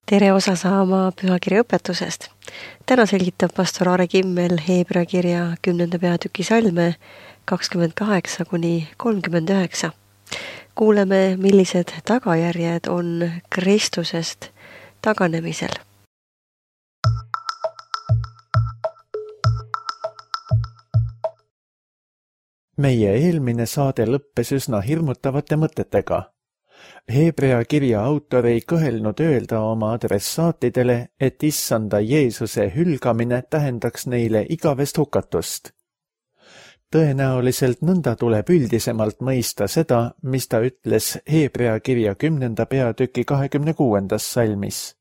Tere osa saama pühakirja õpetusest. Täna selgitab pastor Aare Kimmel Heebrea kirja 10. peatüki salme 28-39. Kuuleme, millised tagajärjed on Kristusest taganemisel. Meie eelmine saade lõppes üsna hirmutavate mõtetega. Heebrea kirja autor ei kõhelnud öelda oma adressaatidele, et issanda Jeesuse hülgamine tähendaks neile igavest hukatust. Tõenäoliselt nõnda tuleb üldisemalt mõista seda, mis ta ütles Heebrea kirja 10. peatüki 26. salmis.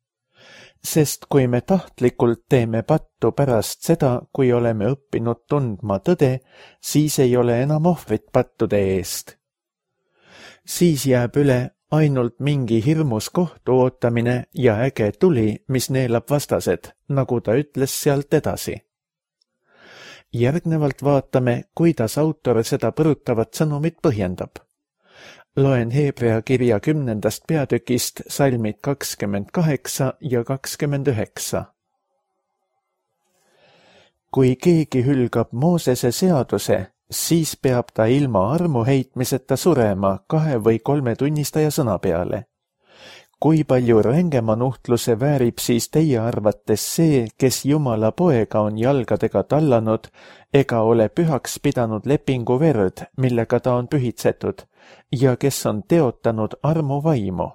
Sest kui me tahtlikult teeme pattu pärast seda, kui oleme õppinud tundma tõde, siis ei ole enam ohvrit pattude eest. Siis jääb üle ainult mingi hirmus kohtu ootamine ja äge tuli, mis neelab vastased, nagu ta ütles sealt edasi. Järgnevalt vaatame, kuidas autor seda põrutavat sõnumit põhjendab. Loen Heebrea kirja 10. peatükist salmid 28 ja 29. Kui keegi hülgab Moosese seaduse, siis peab ta ilma armu heitmiseta surema 2 või 3 tunnistaja sõna peale. Kui palju rängema nuhtluse väärib siis teie arvates see, kes Jumala poega on jalgadega tallanud ega ole pühaks pidanud lepingu verd, millega ta on pühitsetud, ja kes on teotanud armu vaimu?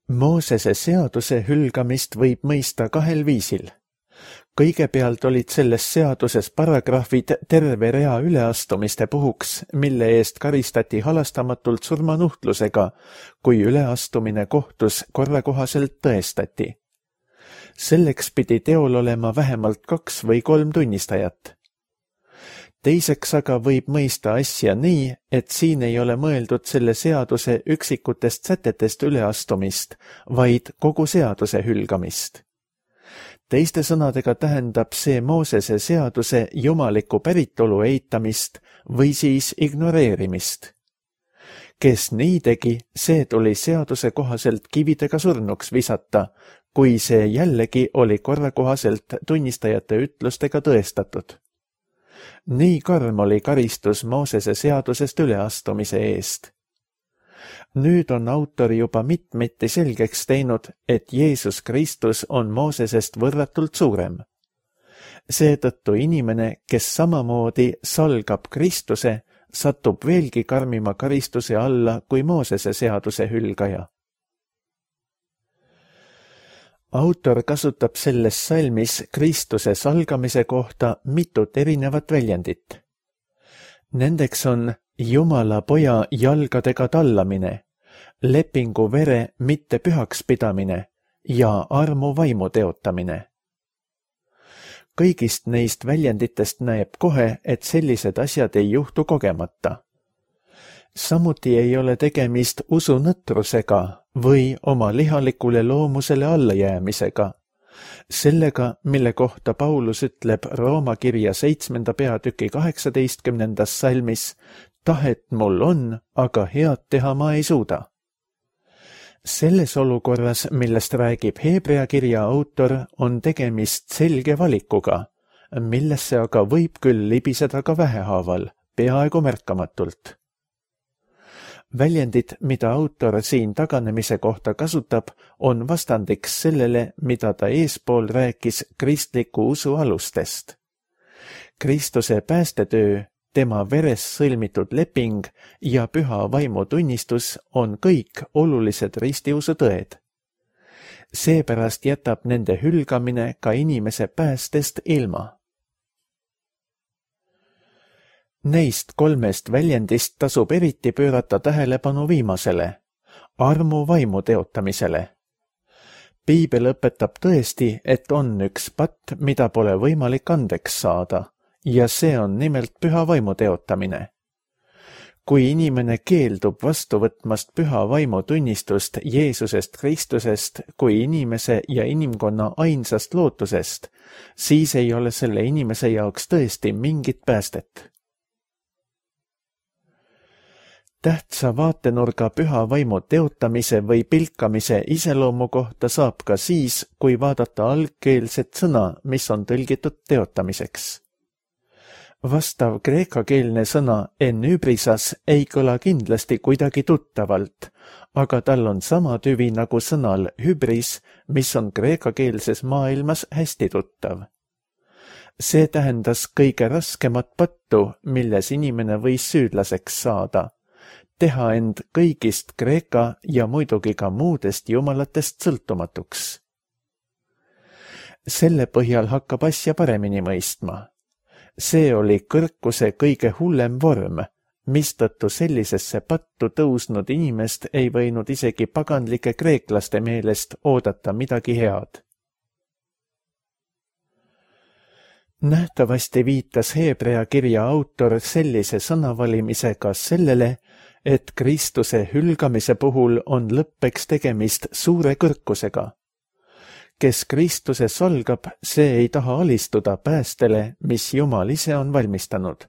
Moosese seaduse hülgamist võib mõista 2 viisil. Kõigepealt olid selles seaduses paragrahvid terve rea üleastumiste puhuks, mille eest karistati halastamatult surmanuhtlusega, kui üleastumine kohtus korrakohaselt tõestati. Selleks pidi teol olema vähemalt 2 või 3 tunnistajat. Teiseks aga võib mõista asja nii, et siin ei ole mõeldud selle seaduse üksikutest sätetest üleastumist, vaid kogu seaduse hülgamist. Teiste sõnadega tähendab see Moosese seaduse jumaliku päritolu eitamist või siis ignoreerimist. Kes nii tegi, see tuli seaduse kohaselt kividega surnuks visata, kui see jällegi oli korrakohaselt tunnistajate ütlustega tõestatud. Nii karm oli karistus Moosese seadusest üleastumise eest. Nüüd on autor juba mitmeti selgeks teinud, et Jeesus Kristus on Moosesest võrratult suurem. Seetõttu inimene, kes samamoodi salgab Kristuse, satub veelgi karmima karistuse alla kui Moosese seaduse hülgaja. Autor kasutab selles salmis Kristuse salgamise kohta mitut erinevat väljendit. Nendeks on Jumala poja jalgadega tallamine, lepingu vere mitte pühaks pidamine ja armu vaimu teotamine. Kõigist neist väljenditest näeb kohe, et sellised asjad ei juhtu kogemata. Samuti ei ole tegemist usunõtrusega või oma lihalikule loomusele allajäämisega. Sellega, mille kohta Paulus ütleb Rooma kirja 7. peatüki 18. salmis, tahet mul on, aga head teha ma ei suuda. Selles olukorras, millest räägib Heebrea kirja autor, on tegemist selge valikuga, millesse aga võib küll libiseda ka vähehaaval, peaaegu märkamatult. Väljendid, mida autor siin taganemise kohta kasutab, on vastandiks sellele, mida ta eespool rääkis kristliku usu alustest. Kristuse päästetöö, tema veres sõlmitud leping ja püha vaimu tunnistus on kõik olulised ristiusu tõed. Seepärast jätab nende hülgamine ka inimese päästest ilma. Neist 3 väljendist tasub eriti pöörata tähelepanu viimasele, armu vaimu teotamisele. Piibel õpetab tõesti, et on üks patt, mida pole võimalik andeks saada, ja see on nimelt püha vaimu teotamine. Kui inimene keeldub vastu võtmast püha vaimu tunnistust Jeesusest Kristusest kui inimese ja inimkonna ainsast lootusest, siis ei ole selle inimese jaoks tõesti mingit päästet. Tähtsa vaatenurga püha vaimu teotamise või pilkamise iseloomu kohta saab ka siis, kui vaadata algkeelset sõna, mis on tõlgitud teotamiseks. Vastav kreekakeelne sõna enübrisas ei kõla kindlasti kuidagi tuttavalt, aga tal on sama tüvi nagu sõnal hübris, mis on kreekakeelses maailmas hästi tuttav. See tähendas kõige raskemat pattu, milles inimene võis süüdlaseks saada, teha end kõigist kreeka ja muidugi ka muudest jumalatest sõltumatuks. Selle põhjal hakkab asja paremini mõistma. See oli kõrkuse kõige hullem vorm, mistõttu sellisesse pattu tõusnud inimest ei võinud isegi paganlike kreeklaste meelest oodata midagi head. Nähtavasti viitas Heebrea kirja autor sellise sõnavalimisega sellele, et Kristuse hülgamise puhul on lõppeks tegemist suure kõrkusega. Kes Kristuse salgab, see ei taha alistuda päästele, mis Jumal ise on valmistanud.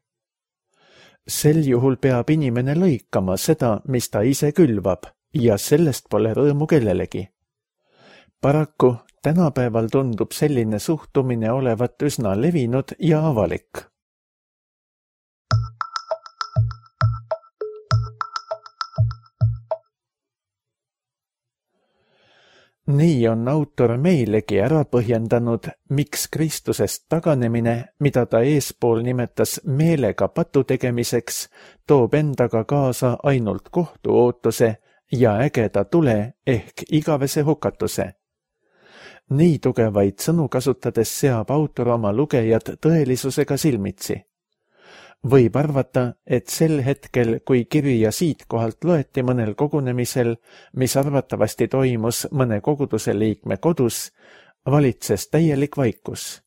Sel juhul peab inimene lõikama seda, mis ta ise külvab, ja sellest pole rõõmu kellelegi. Paraku tänapäeval tundub selline suhtumine olevat üsna levinud ja avalik. Nii on autor meilegi ära põhjendanud, miks Kristusest taganemine, mida ta eespool nimetas meelega patu tegemiseks, toob endaga kaasa ainult kohtuootuse ja ägeda tule ehk igavese hukatuse. Nii tugevaid sõnu kasutades seab autor oma lugejad tõelisusega silmitsi. Võib arvata, et sel hetkel, kui kirja siitkohalt loeti mõnel kogunemisel, mis arvatavasti toimus mõne koguduse liikme kodus, valitses täielik vaikus.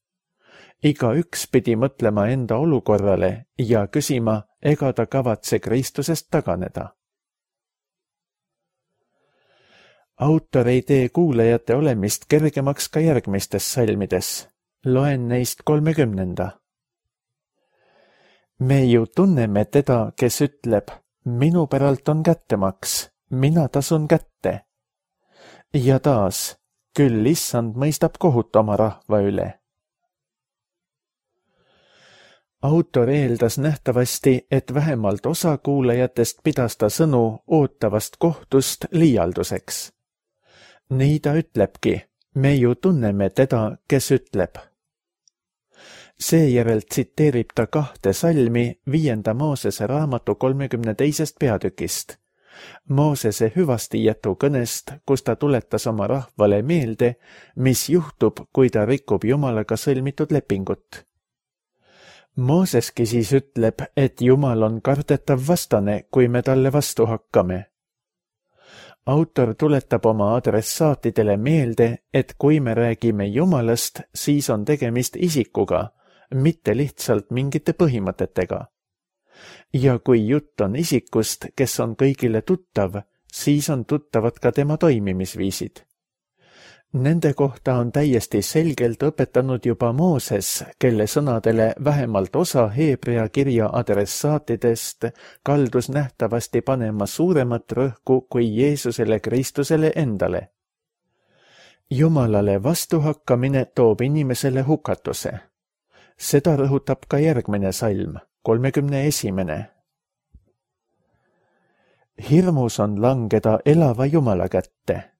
Igaüks pidi mõtlema enda olukorrale ja küsima, ega ta kavatse Kristusest taganeda. Autor ei tee kuulajate olemist kergemaks ka järgmistes salmides. Loen neist 30. Me ju tunneme teda, kes ütleb, minu päralt on kättemaks, mina tasun kätte. Ja taas, küll issand mõistab kohut oma rahva üle. Autor eeldas nähtavasti, et vähemalt osa kuulajatest pidas ta sõnu ootavast kohtust liialduseks. Nii ta ütlebki, me ju tunneme teda, kes ütleb. Seejärel tsiteerib ta 2 salmi 5. Moosese raamatu 32. peatükist. Moosese hüvastijätu kõnest, kus ta tuletas oma rahvale meelde, mis juhtub, kui ta rikub Jumalaga sõlmitud lepingut. Mooseski siis ütleb, et Jumal on kardetav vastane, kui me talle vastu hakkame. Autor tuletab oma adressaatidele meelde, et kui me räägime Jumalast, siis on tegemist isikuga, mitte lihtsalt mingite põhimõtetega. Ja kui jutt on isikust, kes on kõigile tuttav, siis on tuttavad ka tema toimimisviisid. Nende kohta on täiesti selgelt õpetanud juba Mooses, kelle sõnadele vähemalt osa Heebrea kirja adressaatidest kaldus nähtavasti panema suuremat rõhku kui Jeesusele Kristusele endale. Jumalale vastuhakkamine toob inimesele hukatuse. Seda rõhutab ka järgmine salm, 31. Hirmus on langeda elava Jumala kätte.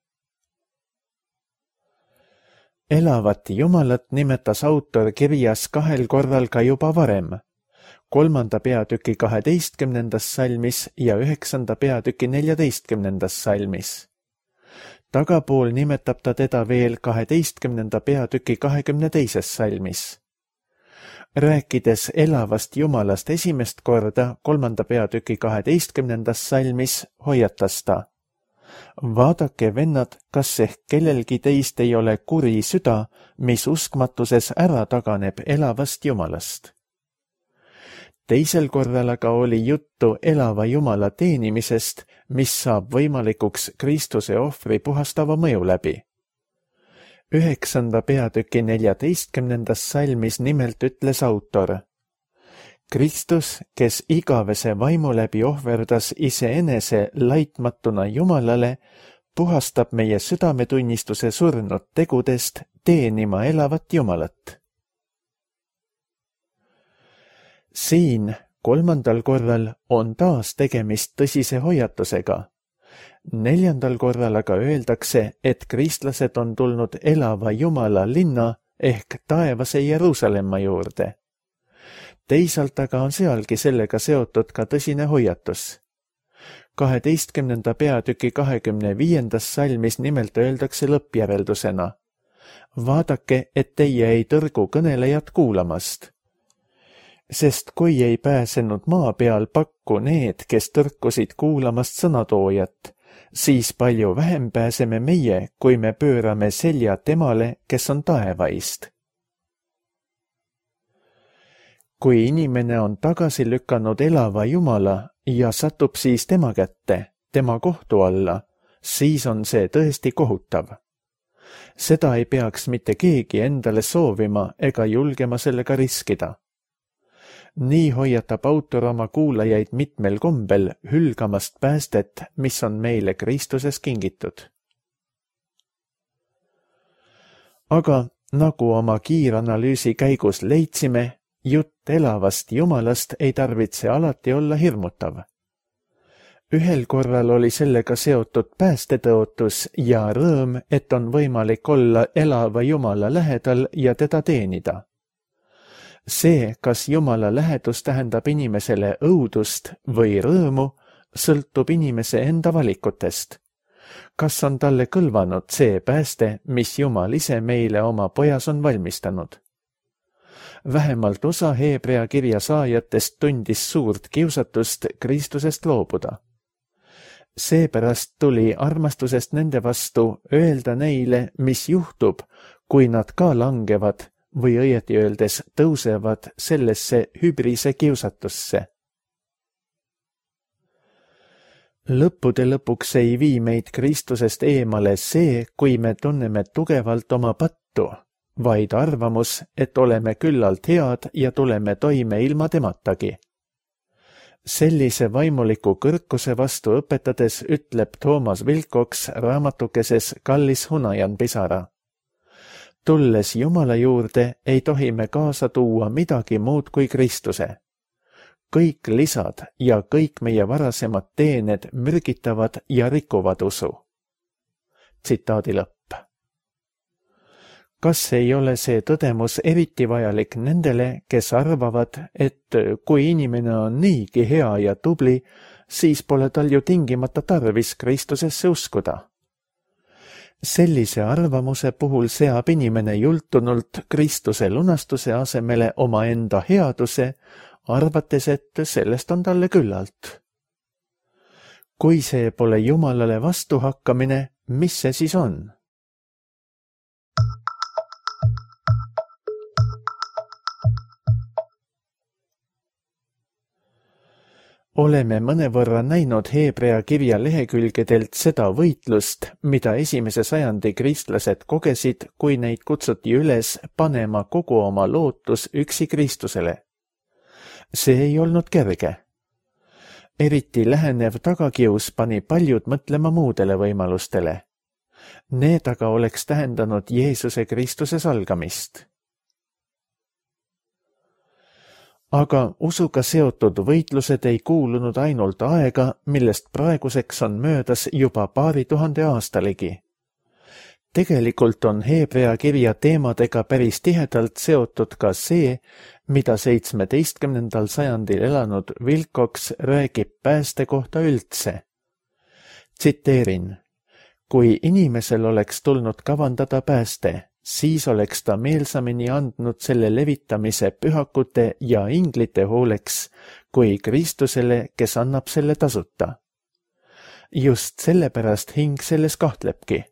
Elavat Jumalat nimetas autor kirjas 2 korral ka juba varem, 3. peatüki 12. salmis ja 9. peatüki 14. salmis. Tagapool nimetab ta teda veel 12. peatüki 22. salmis. Rääkides elavast Jumalast esimest korda 3. peatüki 12. salmis hoiatas ta. Vaadake, vennad, kas ehk kellelgi teist ei ole kuri süda, mis uskmatuses ära taganeb elavast Jumalast. Teisel korral aga oli juttu elava Jumala teenimisest, mis saab võimalikuks Kristuse ohvri puhastava mõju läbi. 9. peatüki 14. salmis nimelt ütles autor. Kristus, kes igavese vaimu läbi ohverdas iseenese laitmatuna Jumalale, puhastab meie südametunnistuse surnud tegudest teenima elavat Jumalat. Siin 3. korral on taas tegemist tõsise hoiatusega. 4. korral aga öeldakse, et kristlased on tulnud elava Jumala linna ehk taevase Jeruusalemma juurde. Teisalt aga on sealgi sellega seotud ka tõsine hoiatus. 12. peatüki 25. salmis nimelt öeldakse lõppjäreldusena: vaadake, et teie ei tõrgu kõnelejat kuulamast. Sest kui ei pääsenud maa peal pakku need, kes tõrkusid kuulamast sõnatoojat, siis palju vähem pääseme meie, kui me pöörame selja temale, kes on taevaist. Kui inimene on tagasi lükanud elava Jumala ja satub siis tema kätte, tema kohtu alla, siis on see tõesti kohutav. Seda ei peaks mitte keegi endale soovima ega julgema sellega riskida. Nii hoiatab autor oma kuulajaid mitmel kombel hülgamast päästet, mis on meile Kristuses kingitud. Aga nagu oma kiiranalüüsi käigus leidsime, jutt elavast Jumalast ei tarvitse alati olla hirmutav. Ühel korral oli sellega seotud päästetõotus ja rõõm, et on võimalik olla elava Jumala lähedal ja teda teenida. See, kas Jumala lähedus tähendab inimesele õudust või rõõmu, sõltub inimese enda valikutest. Kas on talle kõlvanud see pääste, mis Jumal ise meile oma pojas on valmistanud? Vähemalt osa Heebrea kirja saajatest tundis suurt kiusatust Kristusest loobuda. Seepärast tuli armastusest nende vastu öelda neile, mis juhtub, kui nad ka langevad või õieti öeldes tõusevad sellesse hübrise kiusatusse. Lõppude lõpuks ei vii meid Kristusest eemale see, kui me tunneme tugevalt oma pattu, vaid arvamus, et oleme küllalt head ja tuleme toime ilma tematagi. Sellise vaimuliku kõrkuse vastu õpetades ütleb Toomas Wilcox raamatukeses Kallis Hunajan pisara: tulles Jumala juurde, ei tohi me kaasa tuua midagi muud kui Kristuse. Kõik lisad ja kõik meie varasemad teened mürgitavad ja rikuvad usu. Tsitaadi lõpp. Kas ei ole see tõdemus eriti vajalik nendele, kes arvavad, et kui inimene on niigi hea ja tubli, siis pole tal ju tingimata tarvis Kristusesse uskuda? Sellise arvamuse puhul seab inimene jultunult Kristuse lunastuse asemele omaenda headuse, arvates, et sellest on talle küllalt. Kui see pole Jumalale vastuhakkamine, mis see siis on? Oleme mõnevõrra näinud Heebrea kirja lehekülgedelt seda võitlust, mida esimese sajandi kristlased kogesid, kui neid kutsuti üles panema kogu oma lootus üksi Kristusele. See ei olnud kerge. Eriti lähenev tagakius pani paljud mõtlema muudele võimalustele. Need aga oleks tähendanud Jeesuse Kristuse salgamist. Aga usuga seotud võitlused ei kuulunud ainult aega, millest praeguseks on möödas juba 2000 aastalegi. Tegelikult on Heebrea kirja teemadega päris tihedalt seotud ka see, mida 17. sajandil elanud Wilcox räägib pääste kohta üldse. Tsiteerin: kui inimesel oleks tulnud kavandada pääste, siis oleks ta meelsamini andnud selle levitamise pühakute ja inglite hooleks kui Kristusele, kes annab selle tasuta. Just sellepärast hing selles kahtlebki.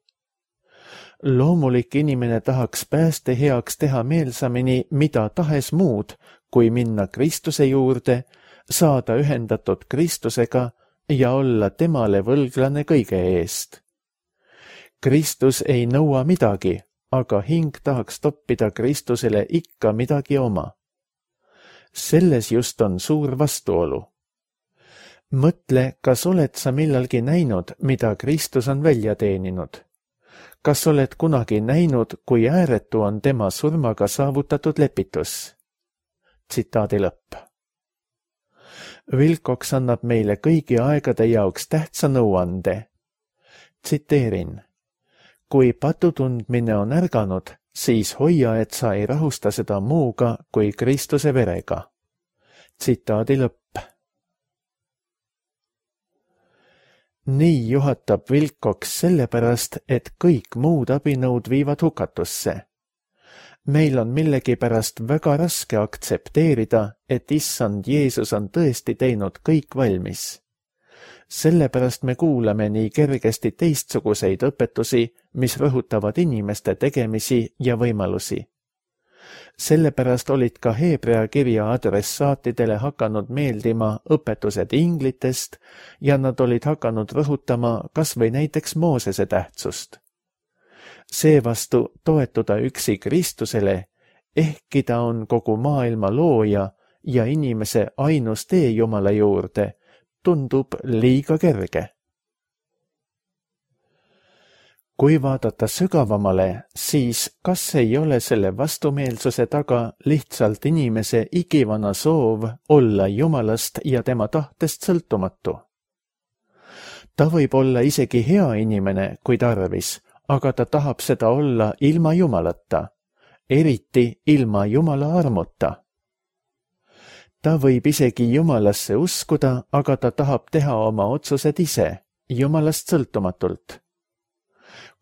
Loomulik inimene tahaks pääste heaks teha meelsamini mida tahes muud, kui minna Kristuse juurde, saada ühendatud Kristusega ja olla temale võlglane kõige eest. Kristus ei nõua midagi, aga hing tahaks toppida Kristusele ikka midagi oma. Selles just on suur vastuolu. Mõtle, kas oled sa millalgi näinud, mida Kristus on välja teeninud? Kas oled kunagi näinud, kui ääretu on tema surmaga saavutatud lepitus? Tsitaadi lõpp. Wilcox annab meile kõigi aegade jaoks tähtsa nõuande. Tsiteerin. Kui patutundmine on ärganud, siis hoia, et sa ei rahusta seda muuga kui Kristuse verega. Tsitaadi lõpp. Nii juhatab Wilcox sellepärast, et kõik muud abinõud viivad hukatusse. Meil on millegipärast väga raske aktsepteerida, et issand Jeesus on tõesti teinud kõik valmis. Sellepärast me kuulame nii kergesti teistsuguseid õpetusi, mis rõhutavad inimeste tegemisi ja võimalusi. Sellepärast olid ka Heebrea kirja adressaatidele hakanud meeldima õpetused inglitest ja nad olid hakanud rõhutama kas või näiteks Moosese tähtsust. Seevastu toetuda üksi Kristusele, ehkki ta on kogu maailma looja ja inimese ainus tee Jumala juurde, tundub liiga kerge. Kui vaadata sügavamale, siis kas ei ole selle vastumeelsuse taga lihtsalt inimese igivana soov olla Jumalast ja tema tahtest sõltumatu? Ta võib olla isegi hea inimene, kui tarvis, aga ta tahab seda olla ilma Jumalata, eriti ilma Jumala armuta. Ta võib isegi Jumalasse uskuda, aga ta tahab teha oma otsused ise, Jumalast sõltumatult.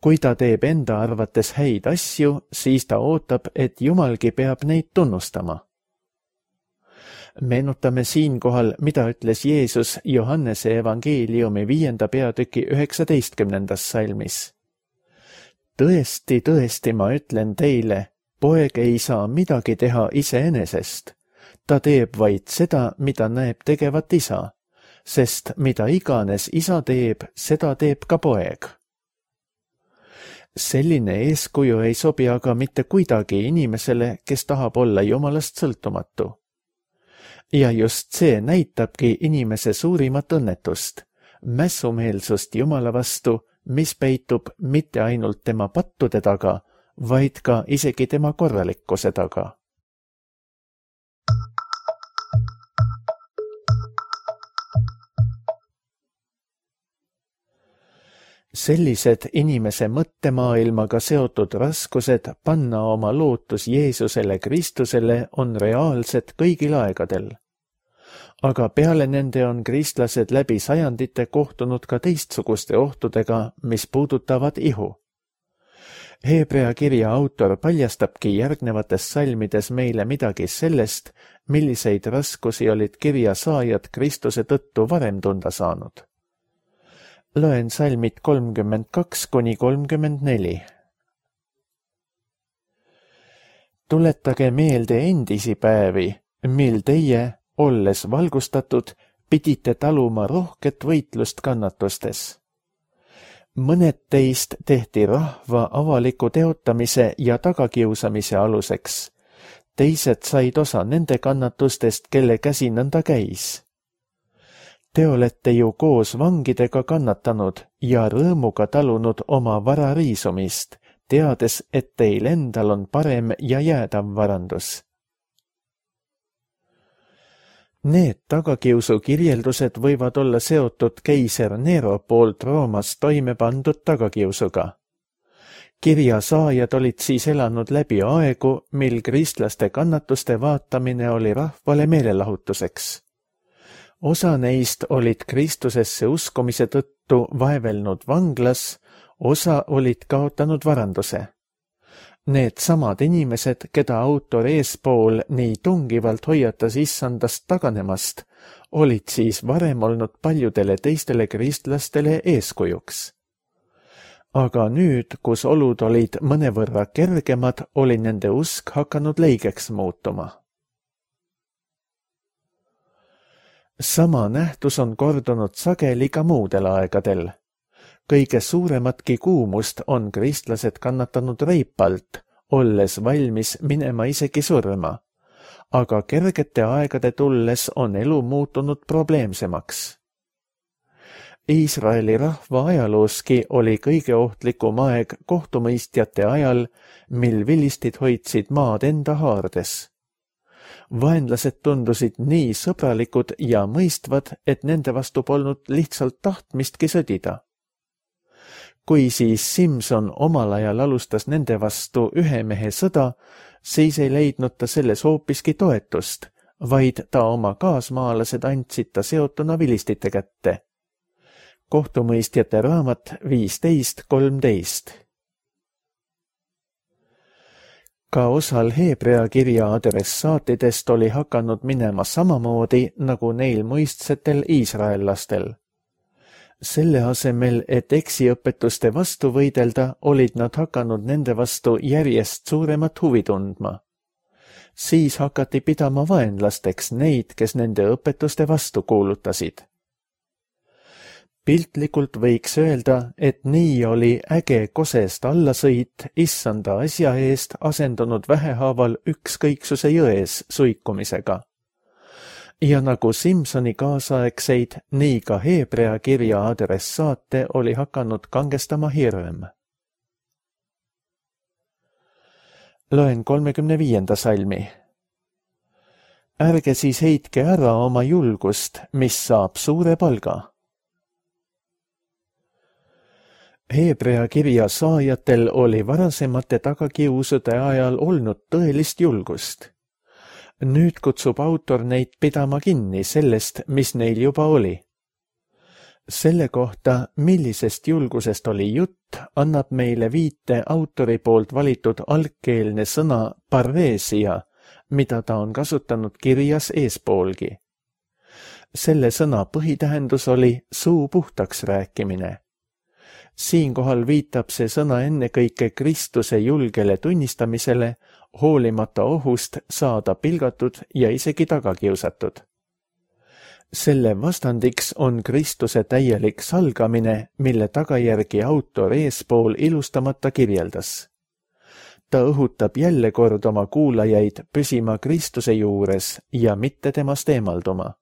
Kui ta teeb enda arvates häid asju, siis ta ootab, et Jumalgi peab neid tunnustama. Meenutame siinkohal, mida ütles Jeesus Johannese evangeeliumi 5. peatüki 19. salmis. Tõesti, tõesti, ma ütlen teile, poeg ei saa midagi teha iseenesest. Ta teeb vaid seda, mida näeb tegevat isa, sest mida iganes isa teeb, seda teeb ka poeg. Selline eeskuju ei sobi aga mitte kuidagi inimesele, kes tahab olla Jumalast sõltumatu. Ja just see näitabki inimese suurimat õnnetust, mässumeelsust Jumala vastu, mis peitub mitte ainult tema pattude taga, vaid ka isegi tema korralikkuse taga. Sellised inimese mõttemaailmaga seotud raskused panna oma lootus Jeesusele Kristusele on reaalsed kõigil aegadel. Aga peale nende on kristlased läbi sajandite kohtunud ka teistsuguste ohtudega, mis puudutavad ihu. Heebrea kirja autor paljastabki järgnevates salmides meile midagi sellest, milliseid raskusi olid kirja saajad Kristuse tõttu varem tunda saanud. Loen salmid 32–34. Tuletage meelde endisi päevi, mil teie, olles valgustatud, pidite taluma rohket võitlust kannatustes. Mõned teist tehti rahva avaliku teotamise ja tagakiusamise aluseks. Teised said osa nende kannatustest, kelle käsi nõnda käis. Te olete ju koos vangidega kannatanud ja rõõmuga talunud oma vara riisumist, teades, et teil endal on parem ja jäädav varandus. Need tagakiusu kirjeldused võivad olla seotud keiser Nero poolt Roomas toime pandud tagakiusuga. Kirja saajad olid siis elanud läbi aegu, mil kristlaste kannatuste vaatamine oli rahvale meelelahutuseks. Osa neist olid Kristusesse uskumise tõttu vaevelnud vanglas, osa olid kaotanud varanduse. Need samad inimesed, keda autor eespool nii tungivalt hoiatas issandast taganemast, olid siis varem olnud paljudele teistele kristlastele eeskujuks. Aga nüüd, kus olud olid mõnevõrra kergemad, oli nende usk hakanud leigeks muutuma. Sama nähtus on kordunud sageli ka muudel aegadel. Kõige suurematki kuumust on kristlased kannatanud reipalt, olles valmis minema isegi surma. aga kergete aegade tulles on elu muutunud probleemsemaks. Iisraeli rahva ajalooski oli kõige ohtlikum aeg kohtumõistjate ajal, mil vilistid hoidsid maad enda haardes. Vaenlased tundusid nii sõbralikud ja mõistvad, et nende vastu polnud lihtsalt tahtmistki sõdida. Kui siis Simson omal ajal alustas nende vastu ühe mehe sõda, siis ei leidnud ta selles hoopiski toetust, vaid ta oma kaasmaalased andsid ta seotuna vilistite kätte. Kohtumõistjate raamat 15:13. Ka osal Heebrea kirja adressaatidest oli hakanud minema samamoodi nagu neil muistsetel iisraellastel. Selle asemel, et eksiõpetuste vastu võidelda, olid nad hakanud nende vastu järjest suuremat huvi tundma. Siis hakati pidama vaenlasteks neid, kes nende õpetuste vastu kuulutasid. Piltlikult võiks öelda, et nii oli äge kosest allasõit issanda asja eest asendunud vähehaaval ükskõiksuse jões suikumisega. Ja nagu Simsoni kaasaegseid, nii ka Heebrea kirja adressaate oli hakanud kangestama hirm. Loen 35. salmi. Ärge siis heitke ära oma julgust, mis saab suure palga. Heebrea kirja saajatel oli varasemate tagakiusude ajal olnud tõelist julgust. Nüüd kutsub autor neid pidama kinni sellest, mis neil juba oli. Selle kohta, millisest julgusest oli jutt, annab meile viite autori poolt valitud algkeelne sõna parreesia, mida ta on kasutanud kirjas eespoolgi. Selle sõna põhitähendus oli suu puhtaks rääkimine. Siinkohal viitab see sõna ennekõike Kristuse julgele tunnistamisele, hoolimata ohust saada pilgatud ja isegi tagakiusatud. Selle vastandiks on Kristuse täielik salgamine, mille tagajärgi autor eespool ilustamata kirjeldas. Ta õhutab jälle kord oma kuulajaid püsima Kristuse juures ja mitte temast eemalduma.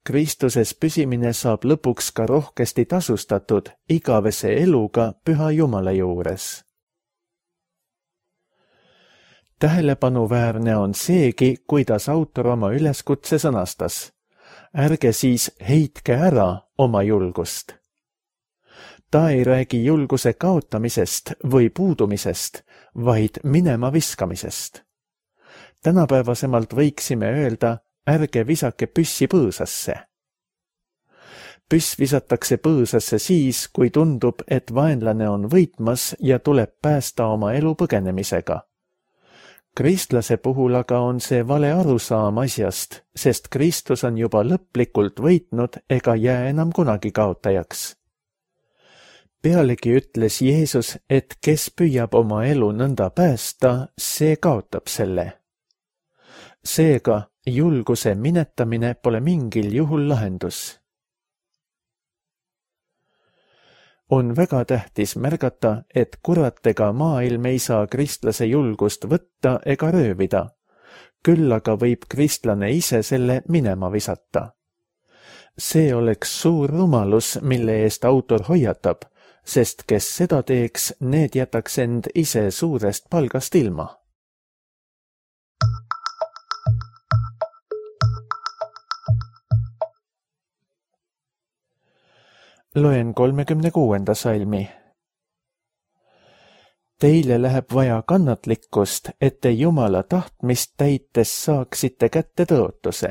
Kristuses püsimine saab lõpuks ka rohkesti tasustatud igavese eluga Püha Jumala juures. Tähelepanuväärne on seegi, kuidas autor oma üleskutse sõnastas. Ärge siis heitke ära oma julgust. Ta ei räägi julguse kaotamisest või puudumisest, vaid minema viskamisest. Tänapäevasemalt võiksime öelda, ärge visake püssi põõsasse. Püss visatakse põõsasse siis, kui tundub, et vaenlane on võitmas ja tuleb päästa oma elu põgenemisega. Kristlase puhul aga on see vale arusaam asjast, sest Kristus on juba lõplikult võitnud ega jää enam kunagi kaotajaks. Pealegi ütles Jeesus, et kes püüab oma elu nõnda päästa, see kaotab selle. Seega julguse minetamine pole mingil juhul lahendus. On väga tähtis märgata, et kurat ega maailm ei saa kristlase julgust võtta ega röövida. Küll aga võib kristlane ise selle minema visata. See oleks suur rumalus, mille eest autor hoiatab, sest kes seda teeks, need jätaks end ise suurest palgast ilma. Loen 36. salmi. Teile läheb vaja kannatlikkust, et te Jumala tahtmist täites saaksite kätte tõotuse.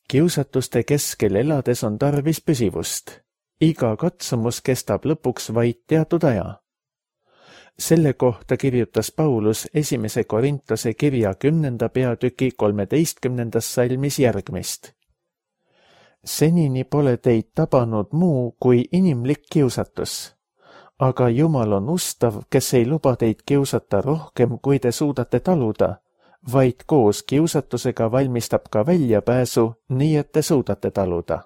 Kiusatuste keskel elades on tarvis püsivust. Iga katsumus kestab lõpuks vaid teatud aja. Selle kohta kirjutas Paulus 1. Korintuse kirja 10. peatüki 13. salmis järgmist. Senini pole teid tabanud muu kui inimlik kiusatus, aga Jumal on ustav, kes ei luba teid kiusata rohkem, kui te suudate taluda, vaid koos kiusatusega valmistab ka väljapääsu, nii et te suudate taluda.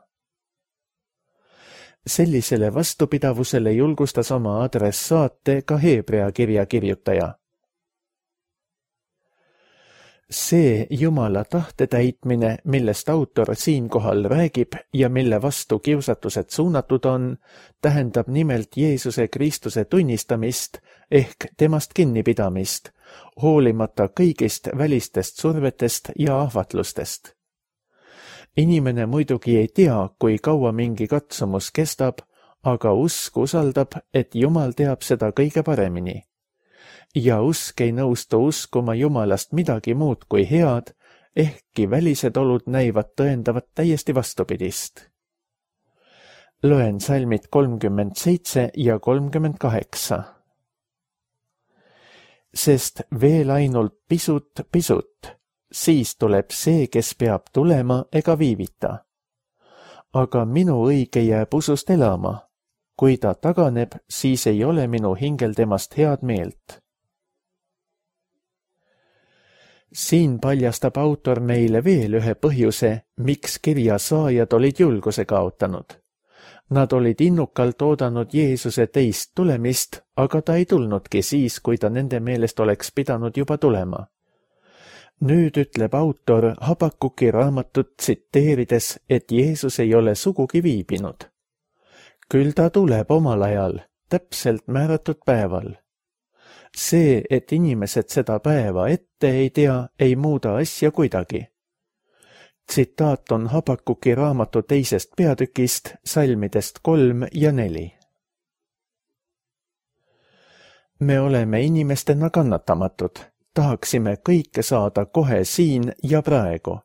Sellisele vastupidavusele julgustas oma adressaate ka Heebrea kirja kirjutaja. See Jumala tahte täitmine, millest autor siinkohal räägib ja mille vastu kiusatused suunatud on, tähendab nimelt Jeesuse Kristuse tunnistamist ehk temast kinnipidamist, hoolimata kõigist välistest survetest ja ahvatlustest. Inimene muidugi ei tea, kui kaua mingi katsumus kestab, aga usk usaldab, et Jumal teab seda kõige paremini. Ja usk ei nõustu uskuma Jumalast midagi muud kui head, ehkki välised olud näivad tõendavat täiesti vastupidist. Loen salmid 37 ja 38. Sest veel ainult pisut, siis tuleb see, kes peab tulema ega viivita. Aga minu õige jääb usust elama. Kui ta taganeb, siis ei ole minu hingel temast head meelt. Siin paljastab autor meile veel ühe põhjuse, miks kirja saajad olid julguse kaotanud. Nad olid innukalt oodanud Jeesuse teist tulemist, aga ta ei tulnudki siis, kui ta nende meelest oleks pidanud juba tulema. Nüüd ütleb autor Habakuki raamatut tsiteerides, et Jeesus ei ole sugugi viibinud. Küll ta tuleb omal ajal, täpselt määratud päeval. See, et inimesed seda päeva ette ei tea, ei muuda asja kuidagi. Tsitaat on Habakuki raamatu 2. peatükist, salmidest 3 ja 4. Me oleme inimestena kannatamatud, tahaksime kõike saada kohe siin ja praegu.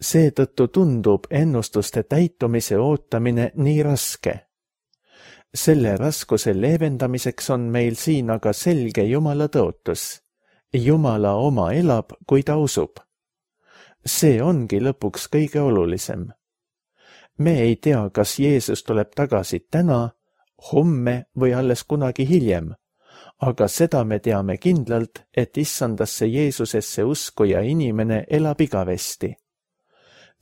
Seetõttu tundub ennustuste täitumise ootamine nii raske. Selle raskuse leevendamiseks on meil siin aga selge Jumala tõotus. Jumala oma elab, kui ta usub. See ongi lõpuks kõige olulisem. Me ei tea, kas Jeesus tuleb tagasi täna, homme või alles kunagi hiljem, aga seda me teame kindlalt, et issandasse Jeesusesse uskuja inimene elab igavesti.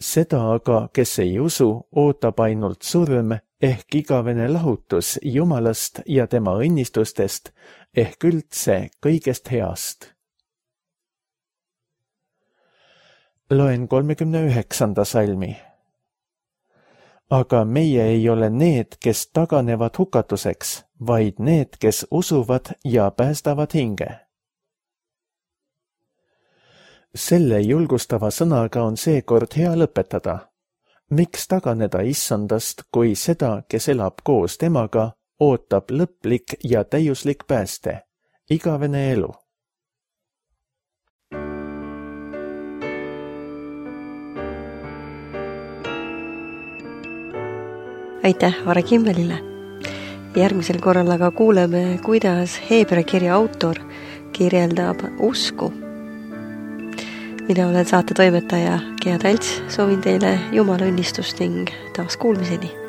Seda aga, kes ei usu, ootab ainult surm ehk igavene lahutus Jumalast ja tema õnnistustest ehk üldse kõigest heast. Loen 39. salmi. Aga meie ei ole need, kes taganevad hukatuseks, vaid need, kes usuvad ja päästavad hinge. Selle julgustava sõnaga on seekord hea lõpetada. Miks taganeda issandast, kui seda, kes elab koos temaga, ootab lõplik ja täiuslik pääste, igavene elu? Aitäh Are Kimmelile. Järgmisel korral aga kuuleme, kuidas Heebrea kirja autor kirjeldab usku. Mina olen saate toimetaja Gea Talts, soovin teile Jumala õnnistust ning taas kuulmiseni.